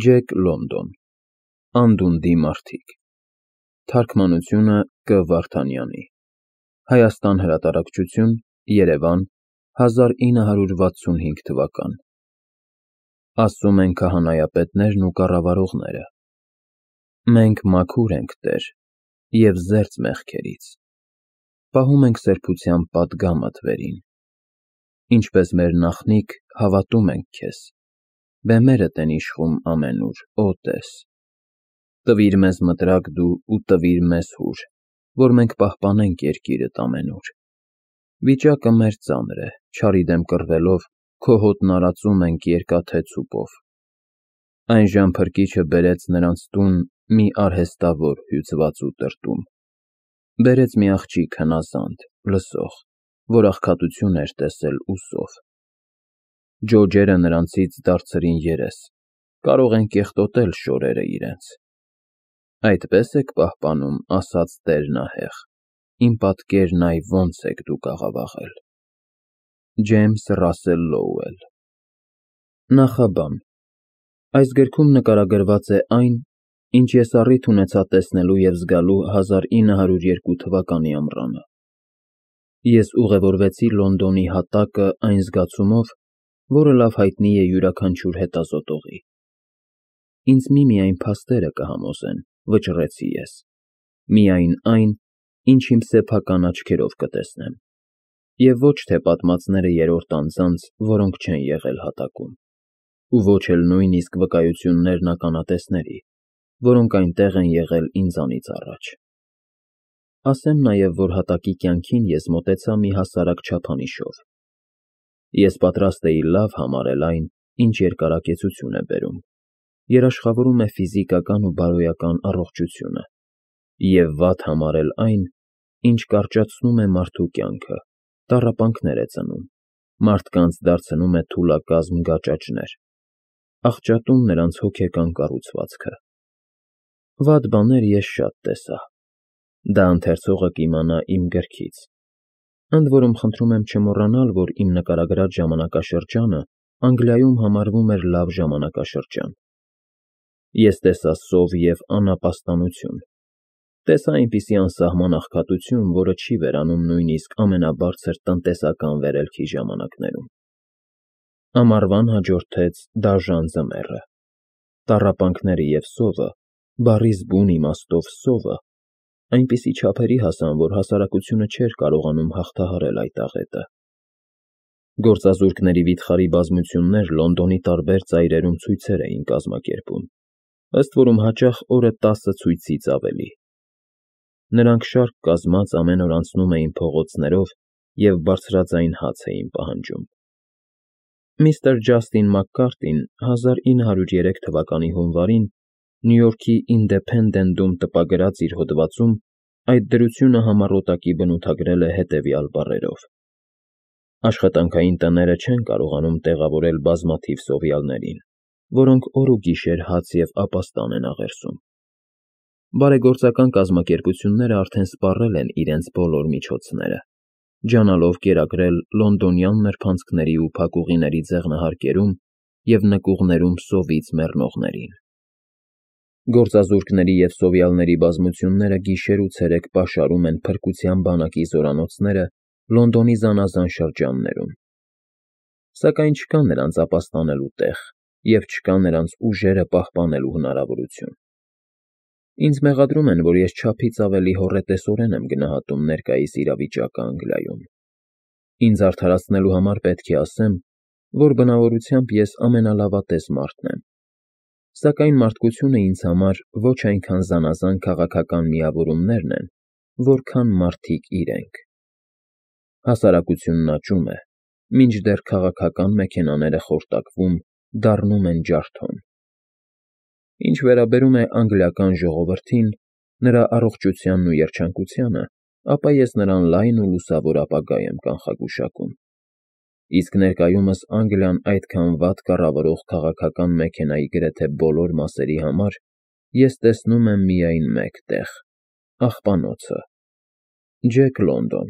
Ջեք Լոնդոն Անդունդի մարդիկ Թարգմանությունը Կ Վարդանյանի Հայաստան հրատարակչություն Երևան 1965 թվական Ասում են քահանայապետներն ու կառավարողները Մենք մաքուր ենք, Տեր, և զերծ մեղքերից, պահում ենք սրբությամբ պատգամդ վերին, ինչպես մեր նախնիկ հավատում ենք քեզ, բեմերդ են իշխում ամենուր, օ Տես, տվիր մեզ մտրակ դու ու տվիր մեզ հուր, որ մենք պահպանենք երկիրդ ամենուր, վիճակը մեր ծանր է, չարի դեմ կռվելով, քո հոտն արածում ենք երկաթե ցուպով, այն ժամ փրկիչը բերեց նրանց տուն մի արհեստավոր հյուծված ու տրտում, բերեց մի աղջիկ հնազանդ, լսող, որ աղքատություն էր տեսել ուսով, ջոջերը նրանցից դարձրին երես, կարող են կեղտոտել շորերը իրենց, այդպես եք պահպանում, ասաց Տերն ահեղ, իմ պատկերն այ ոնց եք դուք աղավաղել։ Ջեյմս Ռասել Լոուել Նախաբան Այս գրքում նկարագրված է այն, ինչ ես առիթ ունեցա տեսնելու և զգալու 1902 թվականի ամռանը։ Ես ուղևորվեցի Լոնդոնի հատակը այն զգացումով, որը լավ հայտնի է յուրաքանչյուր հետազոտողի։ Ինձ միմիայն փաստերը կհամոզեն, վճռեցի ես, միայն այն, ինչ իմ սեփական աչքերով կտեսնեմ, և ոչ թե պատմածները երրորդ անձանց, որոնք չեն եղել հատակում, ու ոչ էլ նույնիսկ վկայություններն ականատեսների, որոնք այնտեղ են եղել ինձանից առաջ։ Ասեմ նաև, որ հատակի կյանքին ես մոտեցա մի հասարակ չափանիշով։ Ես պատրաստ էի լավ համարել այն, ինչ երկարակեցություն է բերում, երաշխավորում է ֆիզիկական ու բարոյական առողջությունը, և վատ համարել այն, ինչ կարճացնում է մարդու կյանքը, տառապանքներ է ծնում, մարդկանց դարձնում է թուլակազմ գաճաճներ, աղճատում նրանց հոգեկան կառուցվածքը։ Վատ բաներ ես շատ տեսա, դա ընթերցողը կիմանա իմ գրքից, ընդ որում խնդրում եմ չմոռանալ, որ իմ նկարագրած ժամանակաշրջանը Անգլիայում համարվում էր լավ ժամանակաշրջան։ Ես տեսա սով և անապաստանություն, տեսա այնպիսի անսահման աղքատություն, որը չի վերանում նույնիսկ ամենաբարձր տնտեսական վերելքի ժամանակներում։ Ամառվան հաջորդեց դաժան ձմեռը, տառապանքները և սովը, բառիս բուն իմաստով սովը, այնպիսի չափերի հասան, որ հասարակությունը չէր կարողանում հաղթահարել այդ աղետը։ Գործազուրկների վիթխարի բազմություններ Լոնդոնի տարբեր ծայրերում ցույցեր էին կազմակերպում, ըստ որում հաճախ օրը 10 ցույցից ավելի։ Նրանք շարք կազմած ամեն օր անցնում էին փողոցներով և բարձրաձայն հաց էին պահանջում։ Միստր Ջաստին Մակկարտին 1903 թվականի հունվարին Նյու Յորքի Ինդեփենդենտում տպագրած իր հոդվածում այդ դրությունը համառոտակի բնութագրել է հետևյալ բառերով. Աշխատանքային տները չեն կարողանում տեղավորել բազմաթիվ սովյալներին, որոնք օր ու գիշեր հաց և ապաստան են աղերսում։ Բարեգործական կազմակերպությունները արդեն սպառել են իրենց բոլոր միջոցները, ջանալով կերակրել լոնդոնյան նրբանցքների ու փակուղիների ձեղնահարկերում և նկուղներում սովից մեռնողներին։ Գործազուրկների և սովյալների բազմությունները գիշեր ու ցերեկ պաշարում են փրկության բանակի զորանոցները Լոնդոնի զանազան շրջաններում։ Սակայն չկա նրանց ապաստանելու տեղ և չկա նրանց ուժերը պահպանելու հնարավորություն։ Ինձ մեղադրում են, որ ես չափից ավելի հոռետեսորեն եմ գնահատում ներկայիս իրավիճակը Անգլիայում։ Ինձ արդարացնելու համար պետք է ասեմ, որ բնավորությամբ ես ամենալավատես մարդն եմ, սակայն մարդկությունը ինձ համար ոչ այնքան զանազան քաղաքական միավորումներն են, որքան մարդիկ իրենք։ Հասարակությունն աճում է, մինչդեռ քաղաքական մեքենաները խորտակվում, դառնում են ջարդոն։ Ինչ վերաբերում է անգլիական ժողովրդին, նրա առողջությանն ու երջանկությանը, ապա ես նրան լայն ու լուսավոր ապագա եմ կանխագուշակում։ Իսկ ներկայումս Անգլիան այդքան վատ կառավարող քաղաքական մեքենայի գրեթե բոլոր մասերի համար ես տեսնում եմ միայն մեկ տեղ՝ աղբանոցը։ Ջեք Լոնդոն